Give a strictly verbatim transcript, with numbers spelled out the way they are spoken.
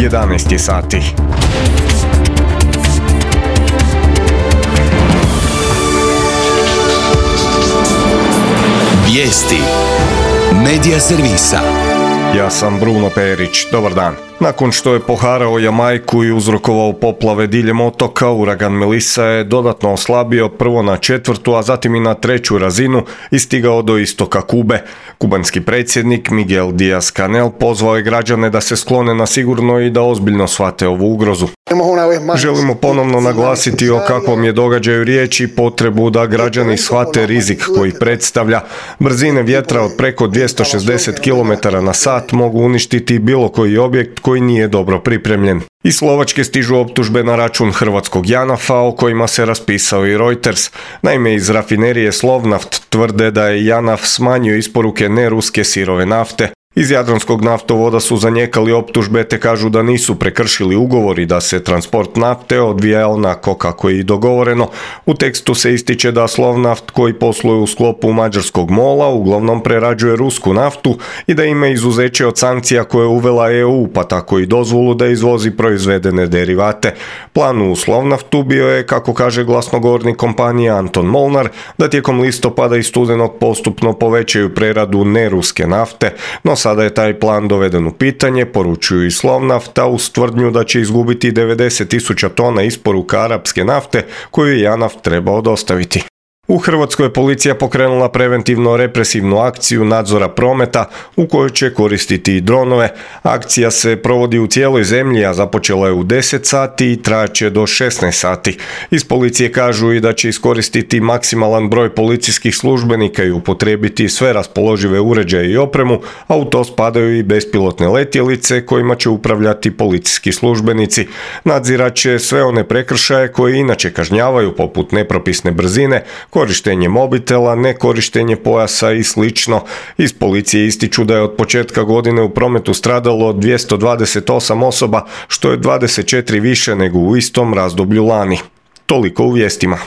jedanaest je sati. Vijesti Medija servisa. Ja sam Bruno Perić, dobar dan. Nakon što je poharao Jamajku i uzrokovao poplave diljem otoka, uragan Melissa je dodatno oslabio prvo na četvrtu, a zatim i na treću razinu i stigao do istoka Kube. Kubanski predsjednik Miguel Díaz-Canel pozvao je građane da se sklone na sigurno i da ozbiljno shvate ovu ugrozu. Želimo ponovno naglasiti o kakvom je događaju riječ i potrebu da građani shvate rizik koji predstavlja. Brzine vjetra od preko dvjesto šezdeset kilometara na sat mogu uništiti bilo koji objekt koji nije dobro pripremljen. Iz Slovačke stižu optužbe na račun hrvatskog Janafa, o kojima se raspisao i Reuters. Naime, iz rafinerije Slovnaft tvrde da je Janaf smanjio isporuke neruske sirove nafte. Iz Jadranskog naftovoda su zanijekali optužbe te kažu da nisu prekršili ugovor i da se transport nafte odvija onako kako je i dogovoreno. U tekstu se ističe da Slovnaft, koji posluje u sklopu mađarskog mola, uglavnom prerađuje rusku naftu i da ima izuzeće od sankcija koje je uvela E U, pa tako i dozvolu da izvozi proizvedene derivate. Plan u Slovnaftu bio je, kako kaže glasnogovornik kompanije Anton Molnar, da tijekom listopada i studenog postupno povećaju preradu neruske nafte, no sada je taj plan doveden u pitanje, poručuju i Slovnafta uz tvrdnju da će izgubiti devedeset tisuća tona isporuka arapske nafte koju je Janaf trebao dostaviti. U Hrvatskoj je policija pokrenula preventivno represivnu akciju nadzora prometa u kojoj će koristiti i dronove. Akcija se provodi u cijeloj zemlji, a započela je u deset sati i trajaće do šesnaest sati. Iz policije kažu i da će iskoristiti maksimalan broj policijskih službenika i upotrijebiti sve raspoložive uređaje i opremu, a u to spadaju i bespilotne letjelice kojima će upravljati policijski službenici. Nadzirat će sve one prekršaje koje inače kažnjavaju, poput nepropisne brzine, korištenje mobitela, nekorištenje pojasa i slično. Iz policije ističu da je od početka godine u prometu stradalo dvjesto dvadeset osam osoba, što je dvadeset četiri više nego u istom razdoblju lani. Toliko u vijestima.